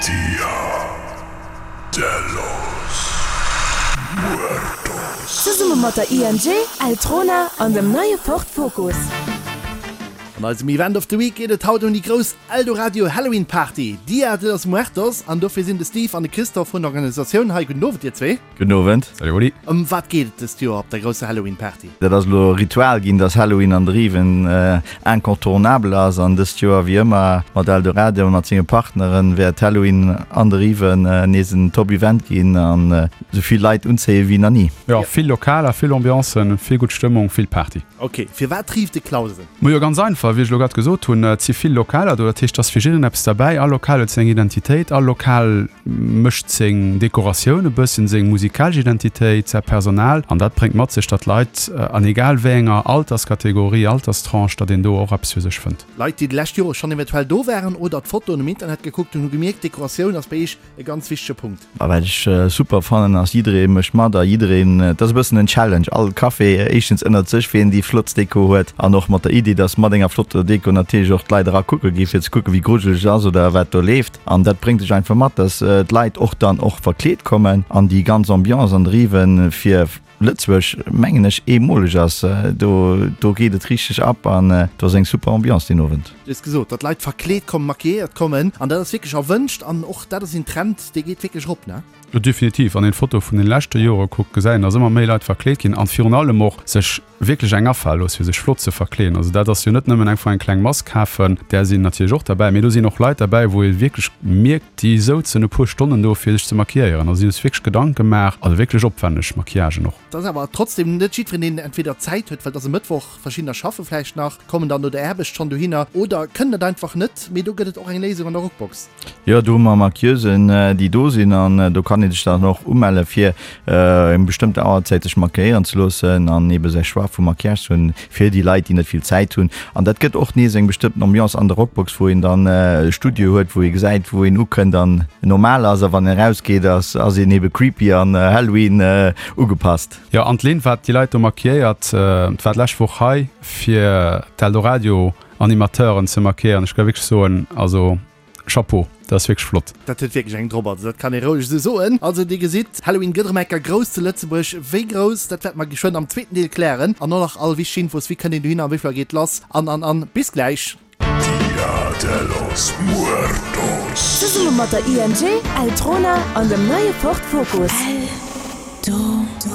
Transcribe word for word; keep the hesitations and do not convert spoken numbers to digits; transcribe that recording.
Dia de los Muertos. Zesumme mat der I N G, Eltrona an dem neie Ford Focus. An eisem Event of the Week geet et haut ëm déi grouss Eldoradio Halloween Party, Dia de los Muertos, an dofir sinn de Steve an de Christophe vun der Organisatioun hei. Gudden Owend, dir zwee. Gudden Owend. Salut Oli. Ëm wat geet et dëst Joer op der grousser Halloween Party? Dat ass elo Ritual ginn, dass Halloween an der Riven incontournable ass, an dëst Joer wéi ëmmer mat Eldoradio a mat senge Partneren wäert Halloween an der Riven nees en Top Event ginn an esou vill Leit unzéie wéi nach ni. Jo, vill Lokaler, vill Ambiancen, vill gutt Stëmmung, vill Party. Ok, firwat rífft de Clausen? Majo, ganz einfach, wéi ech elo grad gesot hunn, et si vill Lokaler do, dat heescht, et ass fir jiddereen eppes derbäi. All Lokal huet seng Identitéit, all Lokal mécht seng Dekoratioun e bëssen, seng musikalesch Identitéit, säi Personal an dat bréngt mat sech, datt d'Leit an egal wéi enger Alterskategorie, Alterstranche, datt een do och eppes fir sech fënnt. Leit, déi déi lescht Jore schonn eventuell do waren oder d'Fotoen um Internet gekuckt hunn, hu gemierkt, d'Dekoratioun ass bei iech e ganz wichtege Punkt. A wat ech super fannen ass, jidderee mécht mat a jiddereen, et ass e bëssen en Challenge, all Café éischtens ënnert sech, wien déi flottst Deko huet an och mat der Iddi, dass mat enger flotter Deko natierlech och d'Leit era kucke gi fir ze kucke wéi grujeleg et ass oder wat do leeft. An dat bréngt sech einfach mat, dass d'Leit och dann och verkleet kommen an déi ganz Ambiance an driwwen fir Lëtzebuerg mengen ech eemoleg ass. Do do geet et richteg ab an do ass eng super Ambiance deen Owend. Du hues gesot, datt Leit verkleet kommen, maquilléiert kommen an dat ass wierklech erwënscht an och dat ass een Trend, dee geet wierklech erop, ne? Jo, definitiv. Wann een d'Fotoe vun den leschte Jore kuckt, gesäit een, datt ëmmer méi Leit verkleet ginn an virun allem och sech wierklech eng afale loosse fir sech flott ze verkleeden. Also dat ass jo net nëmmen einfach eng kleng Mask kafen, där sinn natierlech och derbäi, mee do sinn och Leit derbäi, wou ee wierklech mierkt, déi souzen e puer Stonnen do fir sech ze maquilléieren. Also si hu sech wierklech Gedanke gemaach, also wierklech opwänneg Maquillagen och. Et ass awer trotzdem net jiddwereen, deen entweder Zäit huet, well et ass e Mëttwoch, verschiddener schaffe vläicht nach, kommen dann no der Aarbecht schonn dohinner oder kënnen et einfach net. Mee do gëtt et och eng Léisung an der Rockbox. Jo, do hu mer Maquilleusen, déi do sinn an do kann ee sech dann och umelle fir eng bestëmmte Auerzäit sech maquilléieren ze loossen an ebe säi Choix vu Maquillage ze hunn fir déi Leit, déi net vill Zäit hunn. An dat gëtt och nees eng bestëmmten Ambiance an der Rockbox, wou een dann e Studio huet, wou ee gesäit, wou een ukënnt an normal ass a wann een erausgeet, ass ass een ebe creepy an Halloween ugepasst. Jo, an d'Lynn, wat déi Leit do maquilléiert, war d'lescht Woch hei fir d'Eldoradio Animateuren ze maquilléieren. Ech ka wierklech soen, also Chapeau, dat ass wierklech flott. Dat huet wierklech eng drop, also dat kann ee roueg esou soen. Also dir gesitt, Halloween gëtt erëm eng Kéier grouss zu Lëtzebuerg. Wéi grouss, dat wäerte mer geschwënn am zweeten Deel klären. An och nach all wichteg Infos, wéi kënnt een dohinner, wéi vill Auer geet lass an an an. Bis gläich. Dia de los Muertos. Zesumme mat der I N G, Eltrona an dem neie Ford Focus. Eldoradio.